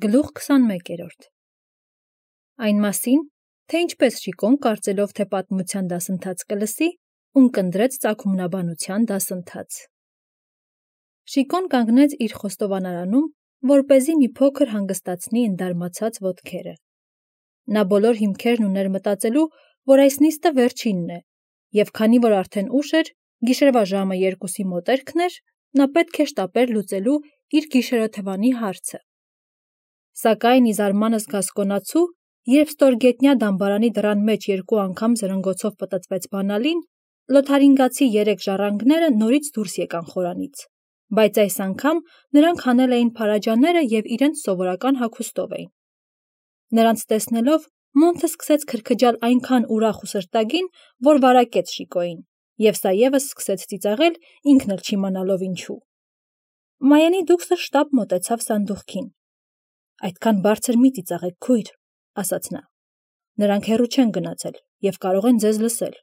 Գլուխ 21 Այն մասին, թե ինչպես Շիկոն կարծելով, թե պատմության դասընթաց կլսի, ունկնդրեց ծագումնաբանության դասընթաց։ Շիկոն կանգնեց իր խոստովանարանում, որպեսզի մի փոքր հանգստացնի ընդարմացած ոտքերը։ Նա բոլոր հիմքերն ուներ մտածելու, որ այս նիստը վերջինն է, և քանի որ արդեն ուշ էր, գիշերվա ժամը 2-ի մոտերքն էր, նա պետք է շտապեր լուծելու իր գիշերօթևանի հարցը։ Սակայն ի զարմանս գասկոնացու, երբ ստորգետնյա դամբարանի դռան մեջ 2 անգամ զրնգոցով պտտվեց բանալին, լոթարինգացի 3 ժառանգները նորից դուրս եկան խորանից, բայց այս անգամ նրանք հանել էին փարաջաները և իրենց սովորական հագուստով էին։ Նրանց տեսնելով, Մոնթը սկսեց քրքջալ այնքան ուրախ ու սրտագին, որ վարակեց Շիկոյին, և սա ևս սկսեց ծիծաղել, ինքն էլ չիմանալով ինչու։ Մայենի դուքսը շտապ մոտեցավ սանդուղքին։ Այդքան բարձր մի ծիծաղեք, քույր, ասաց նա։ Նրանք հեռու չեն գնացել և կարող են ձեզ լսել։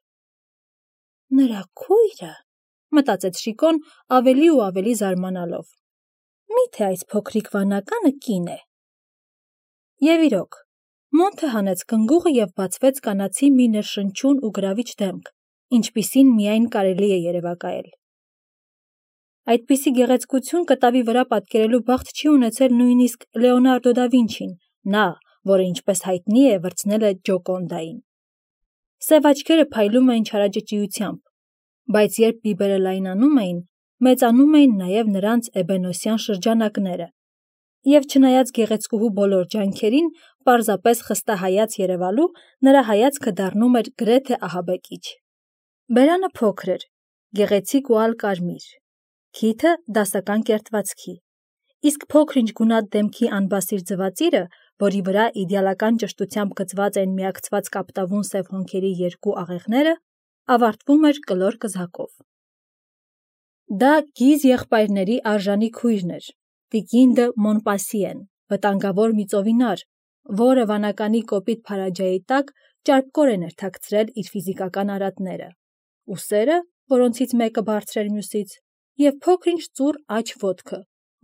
Նրա քույրը, մտածեց Շիկոն ավելի ու ավելի զարմանալով։ Միթե այս փոքրիկ վանականը կին է։ Եվ իրոք, Մոնթը հանեց կնգուղը և բացվեց կանացի մի ներշնչուն ու գրավիչ դեմք, ինչպիսին միայն կարելի է երևակայել։ Այդպիսի գեղեցկություն կտավի վրա պատկերելու բախտ չի ունեցել նույնիսկ Լեոնարդո դա Վինչին, նա, որը ինչպես հայտնի է, վրձնել է Ջոկոնդային։ Սև աչքերը փայլում էին չարաճճիությամբ, բայց երբ բիբերը լայնանում էին, մեծանում էին նաև նրանց էբենոսյան շրջանակները, և չնայած գեղեցկուհու բոլոր ջանքերին, պարզապես խստահայաց երևալու, նրա հայացքը դառնում էր գրեթե ահաբեկիչ։ Բերանը փոքր էր, գեղեցիկ ու ալկարմիր, քիթը դասական կերտվածքի, իսկ փոքր-ինչ գունատ դեմքի անբասիր ձվածիրը, որի վրա իդեալական ճշտությամբ գծված էին միակցված կապտավուն սև հոնքերի 2 աղեղները, ավարտվում էր կլոր կզակով։ Դա գիզ եղբայրների արժանի քույրն էր, տիկին դը Մոնպասիեն, վտանգավոր մի ծովինար, որը վանականի կոպիտ փարաջայի տակ ճարպկորեն էր թաքցրել իր ֆիզիկական արատները, ուսերը, որոնցից մեկը բարձր էր մյուսից, և փոքր-ինչ ծուռ աջ ոտքը,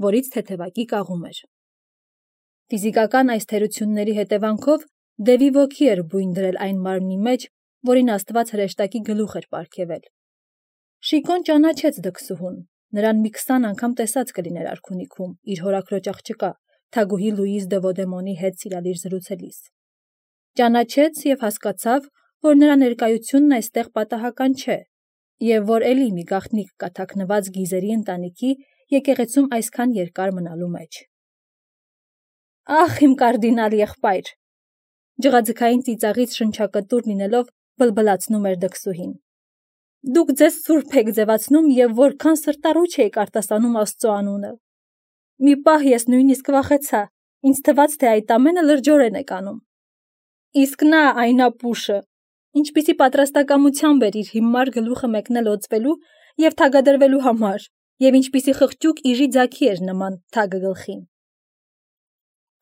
որից թեթևակի կաղում էր։ Ֆիզիկական այս թերությունների հետևանքով դևի ոգի էր բույն դրել այն մարմնի մեջ, որին Աստված հրեշտակի գլուխ էր պարգևել։ Շիկոն ճանաչեց դքսուհուն, նրան մի 20 անգամ տեսած կլիներ արքունիքում, իր հորաքրոջ աղջկա, թագուհի Լուիզ դե Վոդեմոնի հետ սիրալիր զրուցելիս։ Ճանաչեց և հասկացավ, որ նրա ներկայությունն այստեղ պատահական չէ, և որ էլի մի գաղտնիք կա թաքնված գիզերի ընտանիքի եկեղեցում այսքան երկար մնալու մեջ։ Ախ, իմ կարդինալ եղբայր, ջղաձգային ծիծաղից շնչակտուր լինելով բլբլացնում էր դքսուհին։ Դուք ձեզ սուրբ եք ձևացնում և որքան սրտառուչ էիք արտասանում Աստծո անունը։ Մի պահ ես նույնիսկ վախեցա, ինձ թվաց, թե այդ ամենը լրջորեն եք անում։ Իսկ նա, այն ապուշը, ինչպիսի պատրաստակամությամբ էր իր հիմար գլուխը մեկնել օծվելու և թագադրվելու համար, և ինչպիսի խղճուկ իժի ձագի էր նման թագը գլխին։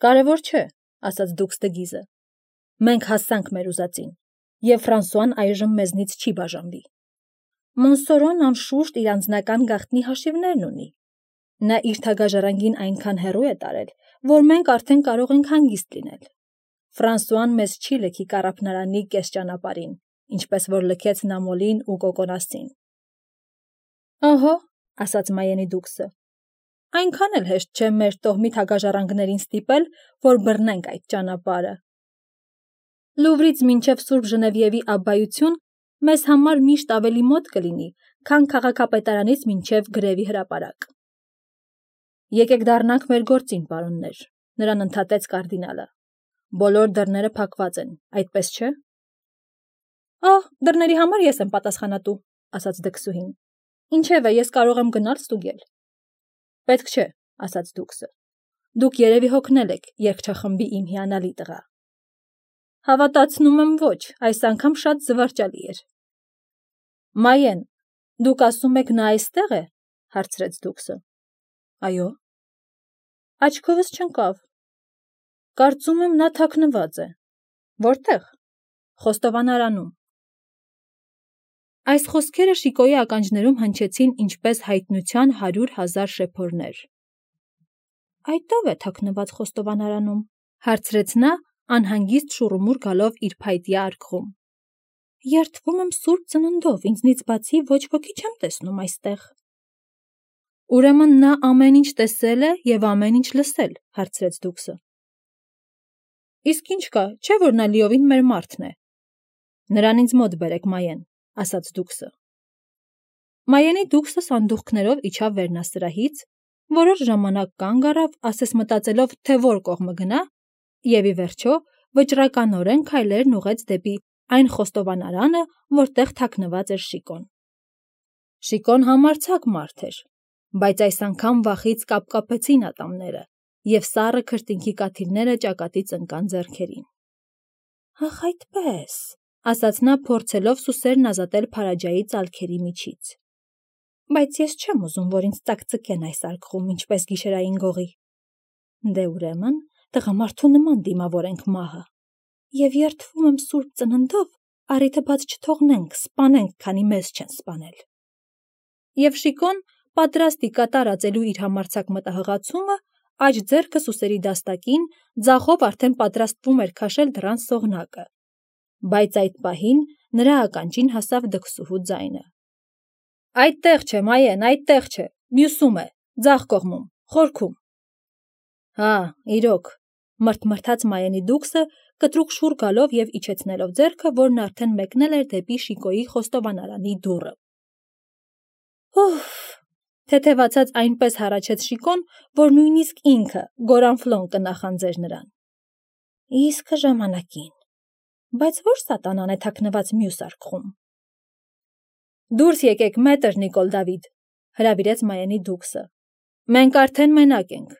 Կարևոր չէ, ասաց դուքս դգիզը։ Մենք հասանք մեր ուզածին, և Ֆրանսուան այժմ մեզնից չի բաժանվի։ Մոնսորոն անշուշտ իր անձնական գաղտնի հաշիվներն ունի։ Նա իր թագաժառանգին այնքան հեռու է տարել, որ մենք արդեն կարող ենք հանգիստ լինել։ Ֆրանսուան մեզ չի լքի կառափնարանի կես ճանապարհին, ինչպես որ լքեց Նամոլին ու Կոկոնասին։ Ահա, ասաց Մայենի դուքսը, այնքան էլ հեշտ չէ մեր տոհմի թագաժառանգներին ստիպել, որ բռնենք այդ ճանապարհը։ Լուվրից մինչև Սուրբ Ժնևիևի աբբայություն մեզ համար միշտ ավելի մոտ կլինի, քան քաղաքապետարանից մինչև Գրևի հրապարակ։ Եկեք դառնանք մեր գործին, պարոններ, նրան ընդհատեց կարդինալը։ Բոլոր դռները փակված են, այդպես չէ։ Դռների համար ես եմ պատասխանատու, ասաց դքսուհին։ Ինչևէ, ես կարող եմ գնալ ստուգել։ Պետք չէ, ասաց դուքսը։ Դուք երևի հոգնել եք, երգչախմբի իմ հիանալի տղա։ Հավատացնում եմ ոչ, այս անգամ շատ զվարճալի էր։ Մայեն, դուք ասում եք նա այստեղ է, հարցրեց դուքսը։ Այո։ Աչքովս չընկավ։ Կարծում եմ նա թաքնված է։ Որտե՞ղ։ Խոստովանարանում։ Այս խոսքերը Շիկոյի ականջներում հնչեցին ինչպես հայտնության 100,000 շեփորներ։ Այդ ո՞վ է թաքնված խոստովանարանում, հարցրեց նա, անհանգիստ շուռումուռ գալով իր փայտյա արկղում։ Երդվում եմ սուրբ ծննդով, ինձնից բացի ոչ ոքի չեմ տեսնում այստեղ։ Ուրեմն նա ամեն ինչ տեսել է և ամեն ինչ լսել, հարցրեց դուքսը։ Իսկ ինչ կա, չէ՞ որ նա լիովին մեր մարդն է։ Նրան ինձ մոտ բերեք, Մայեն, ասաց դուքսը։ Մայենի դուքսը սանդուղքներով իջավ վերնասրահից, որոշ ժամանակ կանգ առավ, ասես մտածելով, թե որ կողմը գնա, և ի վերջո վճռականորեն քայլերն ուղղեց դեպի այն խոստովանարանը, որտեղ թաքնված էր Շիկոն։ Շիկոն համարձակ մարդ էր, բայց այս անգամ վախից կապկապեցին ատամները, և սառը քրտինքի կաթիլները ճակատից ընկան ձեռքերին։ Ախ, այդպես, ասաց նա, փորձելով սուսերն ազատել Փարաջայի ծալքերի միջից։ Բայց ես չեմ ուզում, որ ինձ ծակծկեն այս արկղում, ինչպես գիշերային գողի։ Դե ուրեմն, տղամարդու նման դիմավորենք մահը։ Եվ երդվում եմ սուրբ ծննդով, առիթը բաց չթողնենք, սպանենք, քանի մեզ չեն սպանել։ Եվ Շիկոն, պատրաստ ի կատար ածելու իր համարձակ մտահղացումը, աջ ձեռքը սուսերի դաստակին, ձախով արդեն պատրաստվում էր քաշել դռան սողնակը։ Բայց այդ պահին նրա ականջին հասավ դքսուհու ձայնը։ Այդտեղ չէ, Մայեն, այդտեղ չէ, մյուսում է, ձախ կողմում, խորքում։ Հա, իրոք, մրթմրթաց Մայենի դուքսը, կտրուկ շուռ գալով և իջեցնելով ձեռքը, որն արդեն մեկնել էր դեպի Շիկոյի խոստովանարանի դուռը։ Ուֆ, թեթևացած այնպես հառաչեց Շիկոն, որ նույնիսկ ինքը Գորանֆլոն կնախանձեր նրան։ Իսկ ժամանակին, բայց ո՞ր սատանան է թաքնված մյուս արկղում։ Դուրս եկեք, մետր Նիկոլ Դավիթ, հրավիրեց Մայենի դուքսը։ Մենք արդեն մենակ ենք։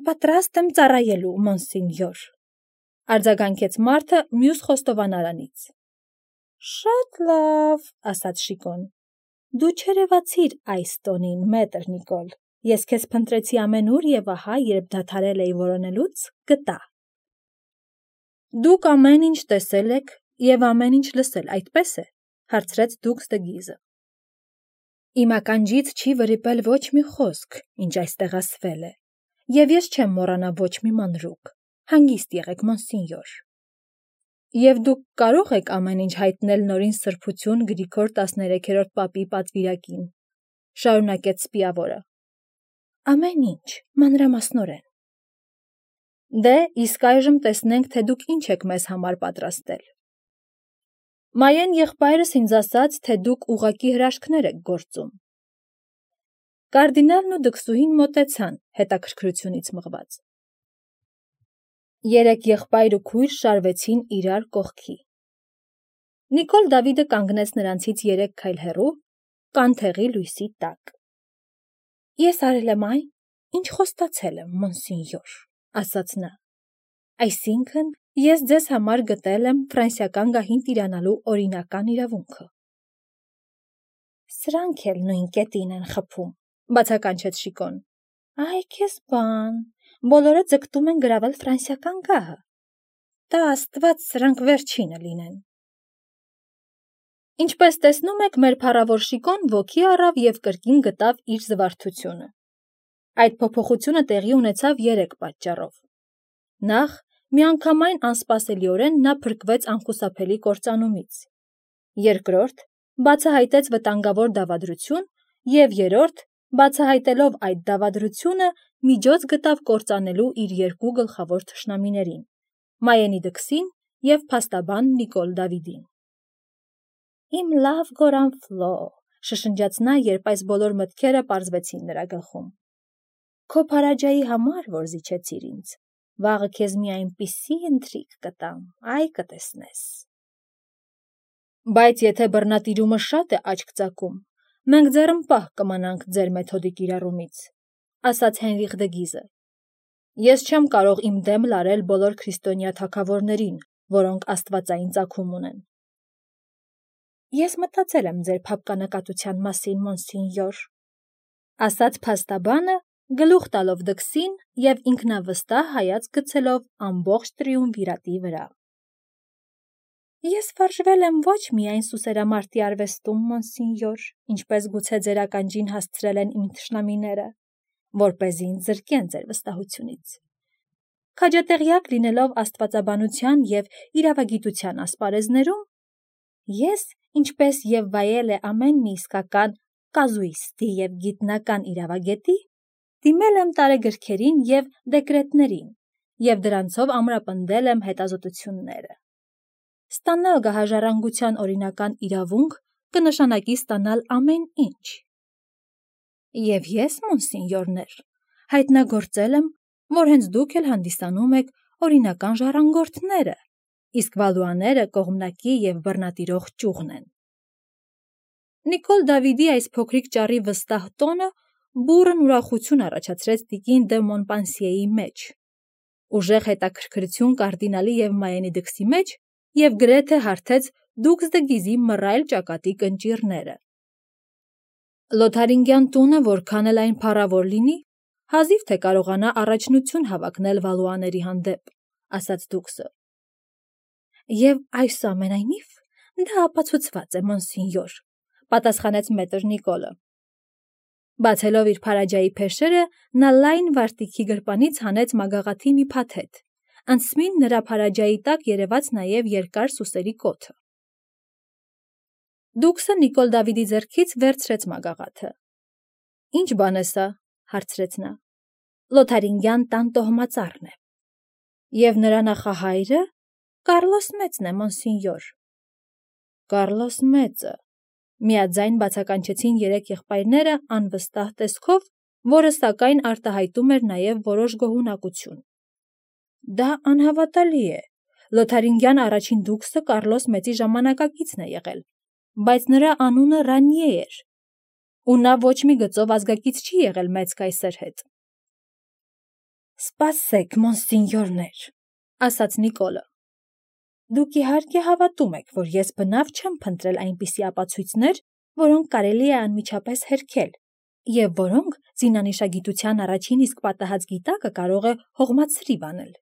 Պատրաստ եմ ծառայելու, մոնսինյոր, արձագանքեց մարդը մյուս խոստովանարանից։ Շատ լավ, ասաց Շիկոն։ Դու չերևացիր այս տոնին, մետր Նիկոլ։ Ես քեզ փնտրեցի ամենուր և ահա, երբ դադարել էի որոնելուց, գտա։ Դուք ամեն ինչ տեսել եք և ամեն ինչ լսել, այդպես է, հարցրեց դուքս Դգիզը։ Իմ ականջից չի վրիպել ոչ մի խոսք, ինչ այստեղ ասվել է, և ես չեմ մոռանա ոչ մի մանրուք։ Հանգիստ եղեք, մոնսինյոր։ Եվ դուք կարող եք ամեն ինչ հայտնել նորին սրբություն Գրիգոր 13-րդ պապի պատվիրակին, շարունակեց սպիավորը։ Ամեն ինչ, մանրամասնորեն։ Դե, իսկ այժմ տեսնենք, թե դուք ինչ եք մեզ համար պատրաստել։ Մայեն եղբայրս ինձ ասաց, թե դուք ուղղակի հրաշքներ եք գործում։ Կարդինալն ու դքսուհին մոտեցան, հետաքրքրությունից մղված։ Երեք եղբայր ու քույր շարվեցին իրար կողքի։ Նիկոլ Դավիթը կանգնեց նրանցից 3 քայլ հեռու, կանթեղի լույսի տակ։ Ես արել եմ այն, ինչ խոստացել եմ, մոնսինյոր, ասաց նա։ Այսինքն, ես ձեզ համար գտել եմ ֆրանսիական գահին տիրանալու օրինական իրավունքը։ Սրանք էլ նույն կետին են խփում, բացականչեց Շիկոն։ Այ քեզ բան, բոլորը ձգտում են գրավել ֆրանսիական գահը։ Տա Աստված սրանք վերջինը լինեն։ Ինչպես տեսնում եք, մեր փառավոր Շիկոն ոգի առավ և կրկին գտավ իր զվարթությունը։ Այդ փոփոխությունը տեղի ունեցավ 3 պատճառով։ Նախ, միանգամայն անսպասելիորեն նա փրկվեց անխուսափելի կործանումից։ Երկրորդ, բացահայտեց վտանգավոր դավադրություն և երրորդ, բացահայտելով այդ դավադրությունը, միջոց գտավ կործանելու իր 2 գլխավոր թշնամիներին՝ Մայենի դքսին և փաստաբան Նիկոլ Դավիթին։ Իմ լավ Գորանֆլո, շշնջաց նա, երբ այս բոլոր մտքերը պարզվեցին նրա գլխում։ Քո Փարաջայի համար, որ զիջեցիր ինձ, վաղը քեզ մի այնպիսի ընթրիք կտամ, այ կտեսնես։ Բայց եթե բռնատիրումը շատ է աչք ծակում, մենք ձեռնպահ կմնանք ձեր մեթոդի կիրառումից, ասաց Հենրիխ Դգիզը։ Ես չեմ կարող իմ դեմ լարել բոլոր քրիստոնյա թագավորներին, որոնք աստվածային ծագում ունեն։ Ես մտածել եմ ձեր փափկանակատության մասին, մոնսինյոր, ասաց փաստաբանը, գլուխ տալով դքսին և ինքնավստահ հայացք գցելով ամբողջ տրիումվիրատի վրա։ Ես վարժվել եմ ոչ միայն սուսերամարտի արվեստում, մոնսինյոր, ինչպես գուցե ձեր ականջին հասցրել են իմ թշնամիները, որպեսզի ինձ զրկեն ձեր վստահությունից։ Քաջատեղյակ լինելով աստվածաբանության և իրավագիտության ասպարեզներում, ես, ինչպես և վայել է ամեն մի իսկական կազուիստի և գիտնական իրավագետի, դիմել եմ տարեգրքերին և դեկրետներին և դրանցով ամրապնդել եմ հետազոտությունները։ Ստանալ գահաժառանգության օրինական իրավունք կնշանակի ստանալ ամեն ինչ։ Եվ ես, մոնսինյորներ, հայտնագործել եմ, որ հենց դուք էլ հանդիսանում եք օրինական ժառանգորդները, իսկ Վալուաները կողմնակի և բռնատիրող ճյուղն են։ Նիկոլ Դավիդի այս փոքրիկ ճառի վստահ տոնը բուռն ուրախություն առաջացրեց տիկին դը Մոնպանսիեի մեջ, ուժեղ հետաքրքրություն կարդինալի և Մայենի դքսի մեջ և գրեթե հարթեց դուքս դը Գիզի մռայլ ճակատի կնճիռները։ Լոթարինգյան տունը, որքան էլ այն փառավոր լինի, հազիվ թե կարողանա առաջնություն հավակնել Վալուաների հանդեպ, ասաց դուքսը։ Եվ այսուամենայնիվ դա ապացուցված է, մոնսինյոր, պատասխանեց մետր Նիկոլը։ Բացելով իր փարաջայի փեշերը, նա լայն վարտիքի գրպանից հանեց մագաղաթի մի փաթեթ, անցմին նրա փարաջայի տակ երևաց նաև երկար սուսերի կոթը։ Դուքսը Նիկոլ Դավիդի ձեռքից վերցրեց մագաղաթը։ Ինչ բան է սա, հարցրեց նա։ Լոթարինգյան տան տոհմածառն է։ Եվ նրա նախահայրը Կարլոս Մեծն է, մոնսինյոր։ Կարլոս Մեծը, միաձայն բացականչեցին երեք եղբայրները անվստահ տեսքով, որը սակայն արտահայտում էր նաև որոշ գոհունակություն։ Դա անհավատալի է։ Լոթարինգյան առաջին դուքսը Կարլոս Մեծի ժամանակակիցն է եղել, բայց նրա անունը Ռանիե էր, ու նա ոչ մի գծով ազգակից չի եղել մեծ կայսր հետ։ Սպասեք, մոնսինյորներ, ասաց Նիկոլը։ Դուք իհարկե հավատում եք, որ ես բնավ չեմ փնտրել այնպիսի ապացույցներ, որոնք կարելի է անմիջապես հերքել, և որոնք զինանշագիտության առաջին իսկ պատահած գիտակը կարող է հողմացրիվ անել։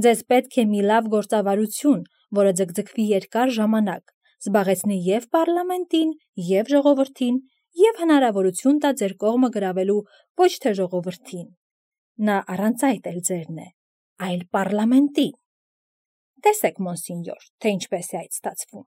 Ձեզ պետք է մի լավ գործավարություն, որը ձգձգվի երկար ժամանակ, զբաղեցնի և պարլամենտին, և ժողովրդին, և հնարավորություն տա ձեր կողմը գրավելու ոչ թե ժողովրդին, նա առանց այդ էլ ձերն է, այլ պարլամենտին։ Տեսեք, մոնսինյոր, թե ինչպես է այդ ստացվում։